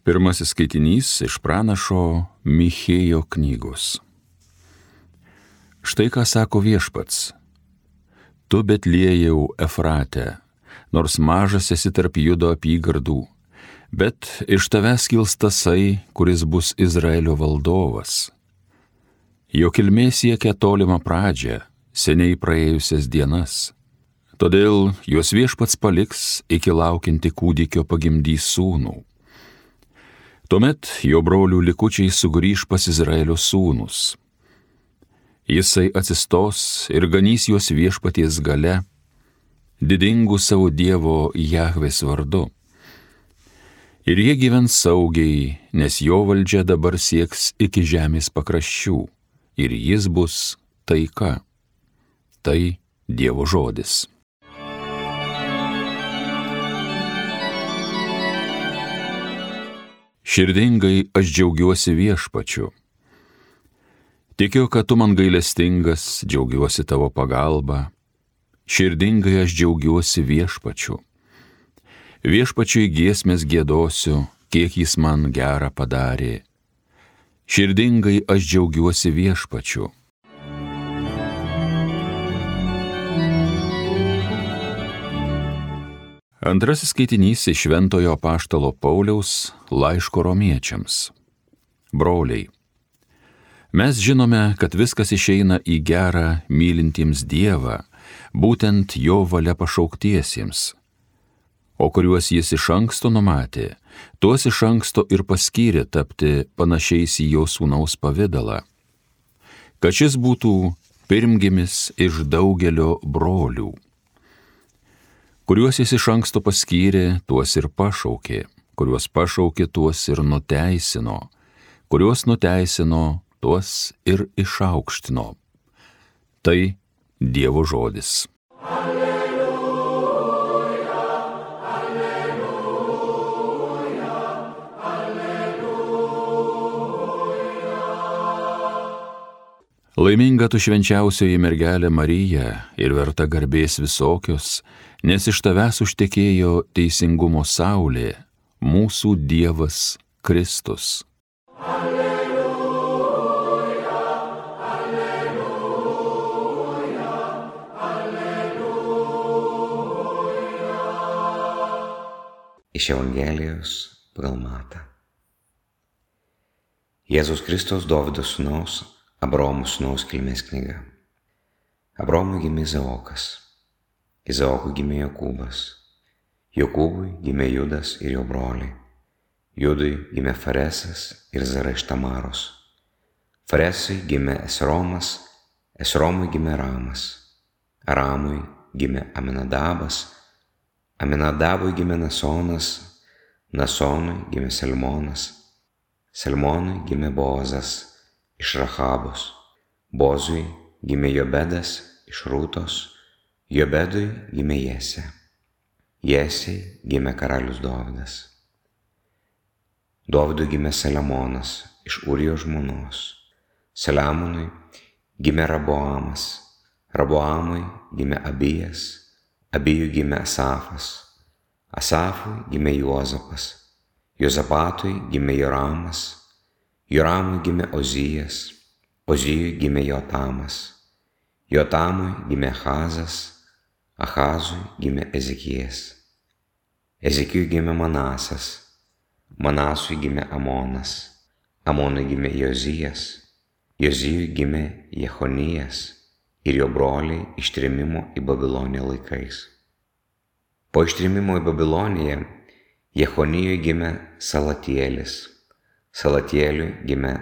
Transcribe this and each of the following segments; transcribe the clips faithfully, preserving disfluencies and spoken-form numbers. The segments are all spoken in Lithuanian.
Pirmasis skaitinys iš pranašo Michėjo knygos. Štai ką sako Viešpats. Tu Betliejau Efrate, nors mažas esi tarp Judo apygardų, bet iš tavęs kils tasai, kuris bus Izraelio valdovas. Jo kilmė siekia tolimą pradžią, seniai praėjusias dienas. Todėl jos Viešpats paliks iki laukianti kūdikio pagimdys sūnų. Tuomet jo brolių likučiai sugrįž pas Izraelio sūnus. Jisai atsistos ir ganys juos Viešpaties gale, didingų savo Dievo Jahvės vardu. Ir jie gyvens saugiai, nes jo valdžia dabar sieks iki žemės pakraščių, ir jis bus taika. Tai Dievo žodis. Širdingai aš džiaugiuosi Viešpačiu. Tikiu, kad tu man gailestingas, džiaugiuosi tavo pagalba. Širdingai aš džiaugiuosi Viešpačiu. Viešpačiui giesmės giedosiu, kiek jis man gerą padarė. Širdingai aš džiaugiuosi Viešpačiu. Antrasis skaitinys iš Šventojo apaštalo Pauliaus laiško romiečiams. Broliai, mes žinome, kad viskas išeina į gerą mylintiems Dievą, būtent jo valia pašauktiesiems. O kuriuos jis iš anksto numatė, tuos iš anksto ir paskyrė tapti panašiais į jo sūnaus pavidalą, kad šis būtų pirmgimis iš daugelio brolių. Kuriuos jis iš anksto paskyrė, tuos ir pašaukė, kuriuos pašaukė, tuos ir nuteisino, kuriuos nuteisino, tuos ir išaukštino. Tai Dievo žodis. Alleluja, alleluja, alleluja. Laiminga tu švenčiausioji mergelė Marija ir verta garbės visokios, nes iš tavęs užtekėjo teisingumo saulė, mūsų Dievas Kristus. Alleluja, alleluja, alleluja. Iš Evangelijos pagal Matą. Jėzus Kristus Dovydo sūnaus, Abraomo sūnaus kilmės knyga. Abraomui gimė Izaokas. Izaokui gimė Jokūbas, Jokūbui gimė Judas ir jo broliai, Judui gimė Faresas ir Zara iš Tamaros, Faresui gimė Esromas, Esromui gimė Ramas, Aramui gimė Aminadabas, Aminadabui gimė Nasonas, Nasonui gimė Salmonas, Salmonui gimė Boazas iš Rachabos, Bozui gimė Jobedas iš Rūtos, Jobedui gimė Jesė, Jesei gimė karalius Dovydas. Dovydui gimė Saliamonas iš Ūrijos žmonos, Saliamonui gimė Raboamas, Raboamui gimė Abijas, Abijui gimė Asafas, Asafui gimė Juozapas, Jozapatui gimė Joramas, Joramui gimė Ozijas, Ozijui gimė Jotamas, Jotamui gimė Achazas, Achazui gimė Ezekijas, Ezekijui gimė Manasas, Manasui gimė Amonas, Amonui gimė Jozijas, Jozijui gimė Jechonijas ir jo broliai ištrėmimo į Babiloniją laikais. Po ištrėmimo į Babiloniją Jechonijui gimė Salatielis, Salatieliui gimė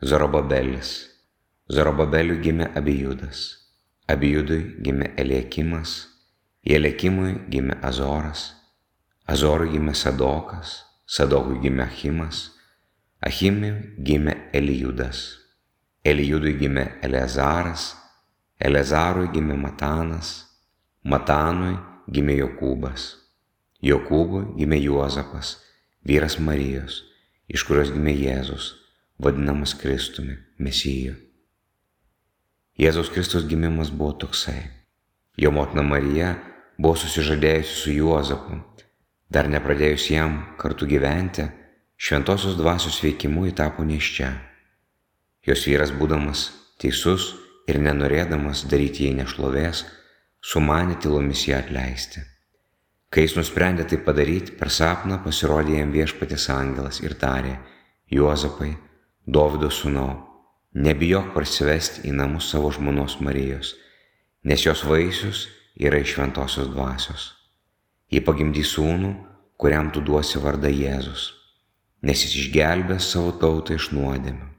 Zorobabelis, Zorobabeliui gimė Abijudas, Abijudui gimė Eliakimas, Eliakimui gimė Azoras, Azorui gimė Sadokas, Sadokui gimė Achimas, Achimui gimė Elijudas, Elijudui gimė Eleazaras, Eleazarui gimė Matanas, Matanui gimė Jokūbas, Jokūbui gimė Juozapas, vyras Marijos, iš kurios gimė Jėzus, vadinamas Kristumi, Mesiju. Jėzaus Kristus gimimas buvo toksai. Jo motina Marija buvo susižadėjusi su Juozapu, dar nepradėjus jam kartu gyventi, šventosios dvasios veikimu ji tapo nėščia. Jos vyras, būdamas teisus ir nenorėdamas daryti jai nešlovės, sumanė tylomis ją atleisti. Kai jis nusprendė tai padaryti, per sapną pasirodė jam Viešpaties angelas ir tarė: Juozapai, Dovydo sūnau, nebijok parsivesti į namus savo žmonos Marijos, nes jos vaisius yra iš šventosios dvasios. Ji pagimdys sūnų, kuriam tu duosi vardą Jėzus, nes jis išgelbės savo tautą iš nuodėmių.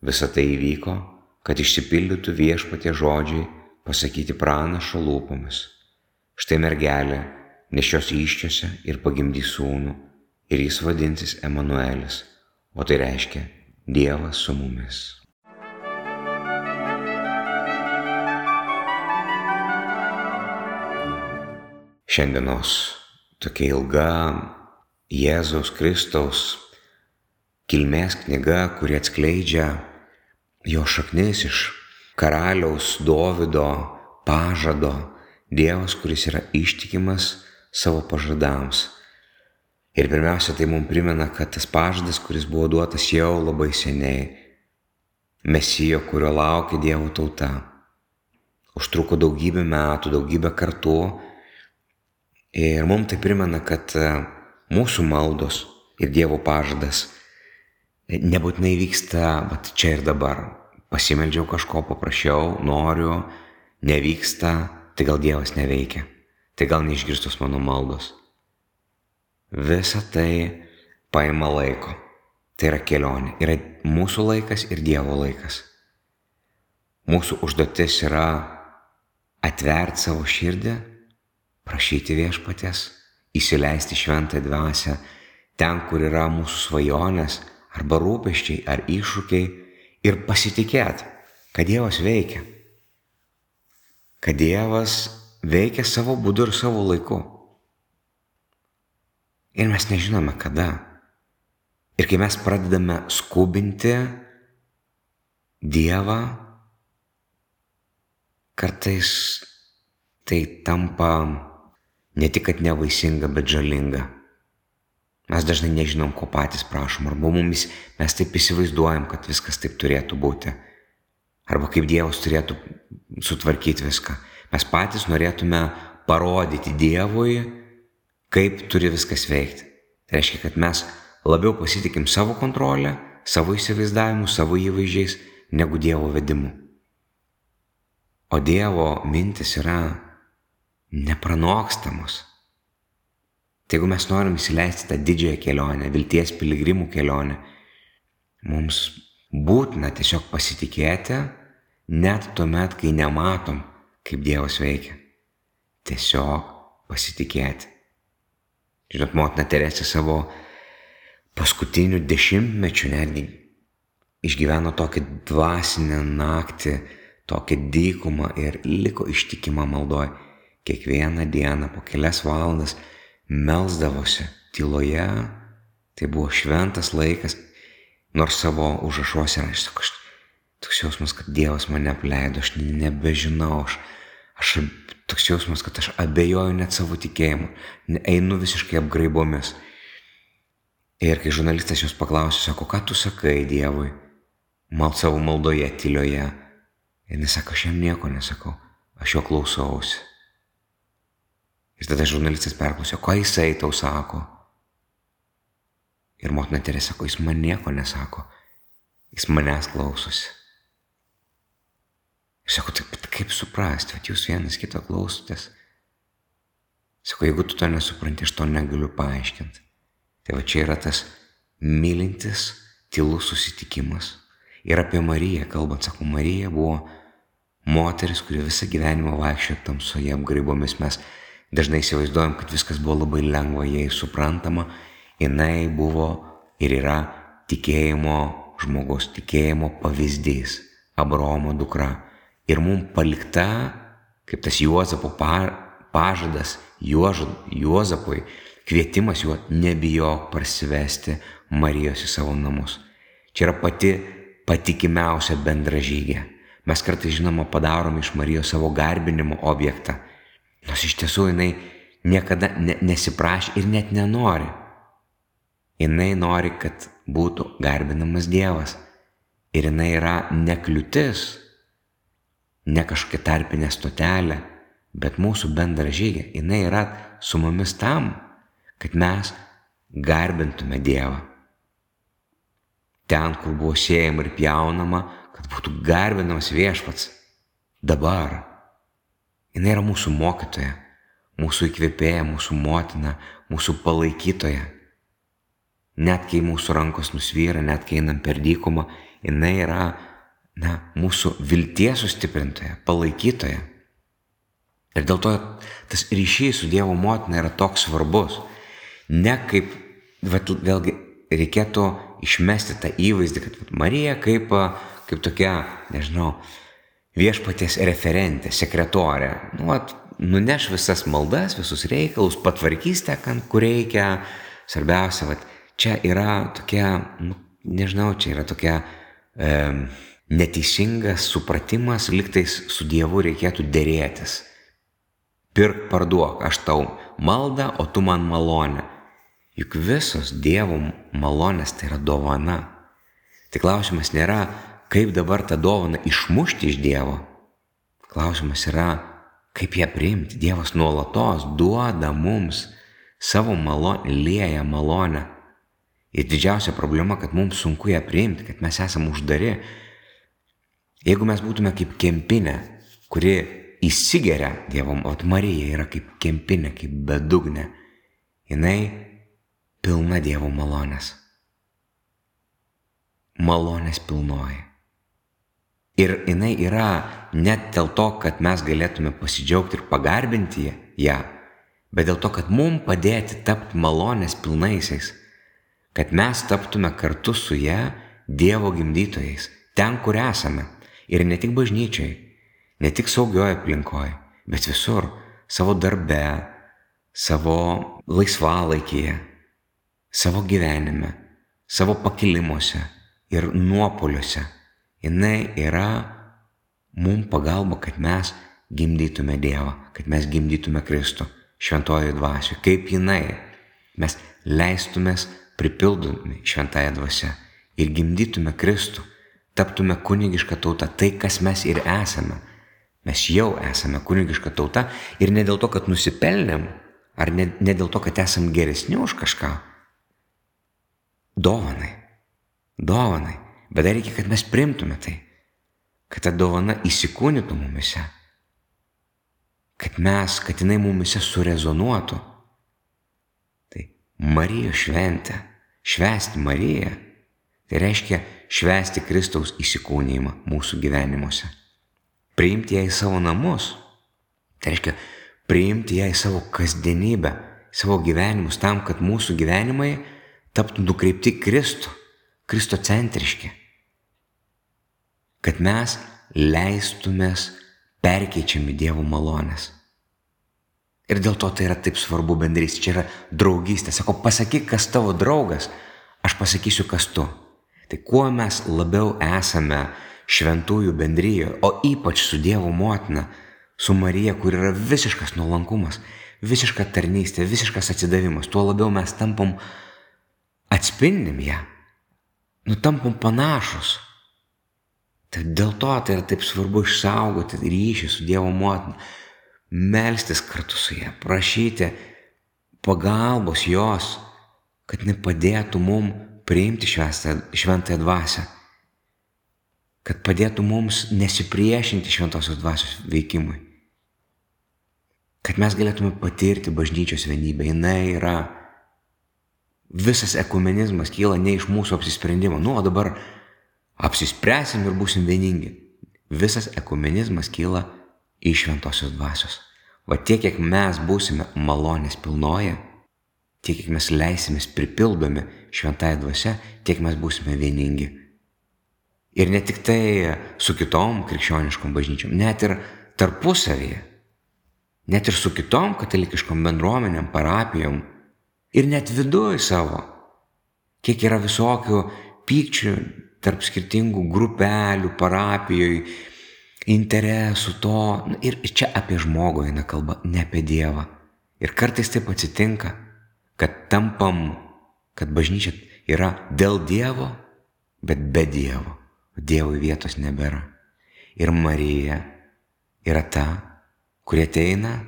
Visa tai įvyko, kad išsipildytų Viešpaties žodžiai pasakyti pranašo lūpomis. Štai mergelė nešios įsčiose ir pagimdys sūnų, ir jis vadinsis Emanuelis, o tai reiškia Dievas su mumis. Šiandienos tokia ilga Jėzaus Kristaus kilmės knyga, kuri atskleidžia jo šaknis iš karaliaus Dovydo pažado, Dievas, kuris yra ištikimas savo pažadams. Ir pirmiausia, tai mums primena, kad tas pažadas, kuris buvo duotas jau labai seniai, Mesijo, kurio laukia Dievo tauta, užtruko daugybę metų, daugybę kartų. Ir mums tai primena, kad mūsų maldos ir Dievo pažadas nebūtinai vyksta bet čia ir dabar. Pasimeldžiau kažko, paprašiau, noriu, nevyksta, tai gal Dievas neveikia, tai gal neišgirstos mano maldos. Visa tai paima laiko. Tai yra kelionė. Yra mūsų laikas ir Dievo laikas. Mūsų užduotis yra atverti savo širdį, prašyti Viešpaties, įsileisti šventąją dvasią ten, kur yra mūsų svajonės, arba rūpesčiai, ar iššūkiai, ir pasitikėti, kad Dievas veikia. Kad Dievas veikia savo būdu ir savo laiku. Ir mes nežinome kada. Ir kai mes pradedame skubinti Dievą, kartais tai tampa ne tik kad nevaisinga, bet žalinga. Mes dažnai nežinom, ko patys prašom, arba mumis mes taip įsivaizduojam, kad viskas taip turėtų būti. Arba kaip Dievas turėtų sutvarkyti viską. Mes patys norėtume parodyti Dievui, kaip turi viskas veikti. Tai reiškia, kad mes labiau pasitikim savo kontrolę, savo įsivaizdavimu, savo įvaizdžiais, negu Dievo vedimu. O Dievo mintis yra nepranokstamos. Tai jeigu mes norim įsileisti tą didžiąją kelionę, vilties piligrimų kelionę, mums būtina tiesiog pasitikėti, net tuomet, kai nematom, kaip Dievas veikia. Tiesiog pasitikėti. Žinot, motina Teresė savo paskutinių dešimtmečių netgi išgyveno tokią dvasinę naktį, tokią dykumą ir liko ištikima maldoj. Kiekvieną dieną po kelias valandas melsdavosi tyloje, tai buvo šventas laikas, nors savo užrašuose aš sakau, toks jausmas, kad Dievas mane apleido, aš nebežinau, aš, aš toks jausmas, kad aš abejoju net savo tikėjimu, einu visiškai apgraibomis. Ir kai žurnalistas jos paklausė, sako, ką tu sakai Dievui, mal savo maldoje, tylioje, ir jis sako, aš jam nieko nesakau, aš jo klausausi. Ir tada žurnalistas perklausė, ko jisai tau sako. Ir motina Teresė sako, jis man nieko nesako, jis manęs klausosi. Ir sako, taip kaip suprasti, kad jūs vienas kito klausotės. Sako, jeigu tu to nesupranti, aš to negaliu paaiškinti. Tai va čia yra tas mylintis, tylus susitikimas. Ir apie Mariją kalbant, sako, Marija buvo moteris, kuri visą gyvenimą vaikščiojo tamsoje apgraibomis. Mes dažnai įsivaizduojam, kad viskas buvo labai lengva, jai suprantama. Jinai buvo ir yra tikėjimo žmogus, tikėjimo pavyzdys, Abraomo dukra. Ir mums palikta, kaip tas Juozapo pažadas, Juozapui, kvietimas juo nebijok parsivesti Marijos į savo namus. Čia yra pati patikimiausia bendražygė. Mes kartais, žinoma, padarom iš Marijos savo garbinimo objektą, nors iš tiesų jinai niekada ne, nesiprašė ir net nenori. Jinai nori, kad būtų garbinamas Dievas. Ir jinai yra ne kliūtis, ne kažkokia tarpinė stotelė, bet mūsų bendražygė. Jinai yra su mumis tam, kad mes garbintume Dievą. Ten, kur buvo siejama ir pjaunama, kad būtų garbinamas Viešpats. Dabar. Jinai yra mūsų mokytoja, mūsų įkvėpėja, mūsų motina, mūsų palaikytoja. Net kai mūsų rankos nusvyra, net kai einam per dykumą, jinai yra, na, mūsų vilties sustiprintoja, palaikytoja. Ir dėl to tas ryšys su Dievo motina yra toks svarbus. Ne kaip, vat, vėlgi, reikėtų išmesti tą įvaizdį, kad vat, Marija kaip, kaip tokia, nežinau, Viešpaties referentė, sekretorė. Nu, vat, nuneš visas maldas, visus reikalus, patvarkys tą, kur reikia. Svarbiausia, vat, čia yra tokia, nu, nežinau, čia yra tokia e, neteisingas supratimas, lygtais su Dievu reikėtų derėtis. Pirk, parduok, aš tau maldą, o tu man malonę. Juk visos Dievo malonės tai yra dovana. Tai klausimas nėra, kaip dabar tą dovaną išmušti iš Dievo. Klausimas yra, kaip ją priimti. Dievas nuolatos duoda mums savo malonę, lieja malonę. Ir didžiausia problema, kad mums sunku ją priimti, kad mes esame uždari. Jeigu mes būtume kaip kempinė, kuri įsigeria Dievo, o Marija yra kaip kempinė, kaip bedugnė, jinai pilna Dievo malonės. Malonės pilnoji. Ir jinai yra net dėl to, kad mes galėtume pasidžiaugti ir pagarbinti ją, bet dėl to, kad mums padėti tapti malonės pilnaisiais, kad mes taptume kartu su ją Dievo gimdytojais, ten, kur esame. Ir ne tik bažnyčiai, ne tik saugioje aplinkoje, bet visur, savo darbe, savo laisvalaikyje, savo gyvenime, savo pakilimuose ir nuopoliuose. Jinai yra mums pagalba, kad mes gimdytume Dievą, kad mes gimdytume Kristų šventojoje dvasioje. Kaip jinai, mes leistumės pripildomi šventąją dvasią ir gimdytume Kristų, taptume kunigiška tauta, tai kas mes ir esame. Mes jau esame kunigiška tauta ir ne dėl to, kad nusipelnėm, ar ne, ne dėl to, kad esam geresni už kažką. Dovanai, dovanai. Bet dar reikia, kad mes priimtume tai, kad ta dovana įsikūnytų mumise, kad mes, kad jinai mumise surezonuotų. Tai Marijos šventė, švęsti Mariją, tai reiškia švęsti Kristaus įsikūnijimą mūsų gyvenimuose. Priimti ją į savo namus, tai reiškia priimti ją į savo kasdienybę, savo gyvenimus, tam, kad mūsų gyvenimai taptų nukreipti Kristų, kristocentriški. Kad mes leistumės perkeičiami Dievo malonės. Ir dėl to tai yra taip svarbu bendrystė, čia yra draugystė. Sako, pasakyk, kas tavo draugas, aš pasakysiu, kas tu. Tai kuo mes labiau esame šventųjų bendrijoje, o ypač su Dievo motina, su Marija, kur yra visiškas nuolankumas, visiška tarnystė, visiškas atsidavimas, tuo labiau mes tampam, atspindim ją, nu tampam panašus. Tai dėl to tai yra taip svarbu išsaugoti ryšį su Dievo motina, melstis kartu su ją, prašyti pagalbos jos, kad nepadėtų mum priimti šventąją dvasią, kad padėtų mums nesipriešinti šventosios dvasios veikimui, kad mes galėtume patirti bažnyčios vienybę. Jinai yra, visas ekumenizmas kyla ne iš mūsų apsisprendimo, nu, o dabar apsispręsim ir būsim vieningi. Visas ekumenizmas kyla iš šventosios dvasios. Va tiek, kiek mes būsime malonės pilnoje, tiek, kiek mes leisimės pripildomi šventąją dvasią, tiek mes būsime vieningi. Ir ne tik tai su kitom krikščioniškom bažnyčiom, net ir tarpusavyje, net ir su kitom katalikiškom bendruomenėm, parapijom, ir net viduj savo, kiek yra visokių pykčių tarp skirtingų grupelių, parapijoj, interesų to. Ir čia apie žmogų eina kalba, ne apie Dievą. Ir kartais taip atsitinka, kad tampam kad bažnyčia yra dėl Dievo, bet be Dievo. Dievui vietos nebėra. Ir Marija yra ta, kurie ateina,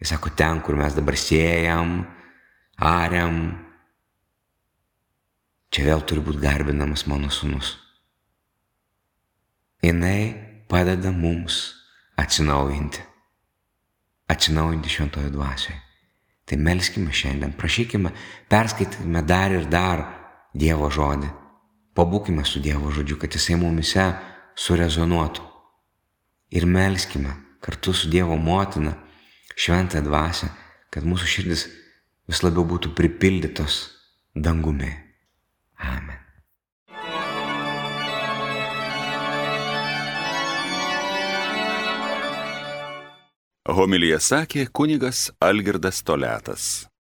jis sako, ten, kur mes dabar siejam, ariam, čia vėl turi būti garbinamas mano sūnus. Jinai padeda mums atsinaujinti. Atsinaujinti šventojo dvasioje. Tai melskime šiandien, prašykime, perskaitykime dar ir dar Dievo žodį. Pabūkime su Dievo žodžiu, kad jisai mumise surezonuotų. Ir melskime kartu su Dievo motina šventąją dvasią, kad mūsų širdis vis labiau būtų pripildytos dangumi. Amen. Homiliją sakė kunigas Algirdas Toliatas.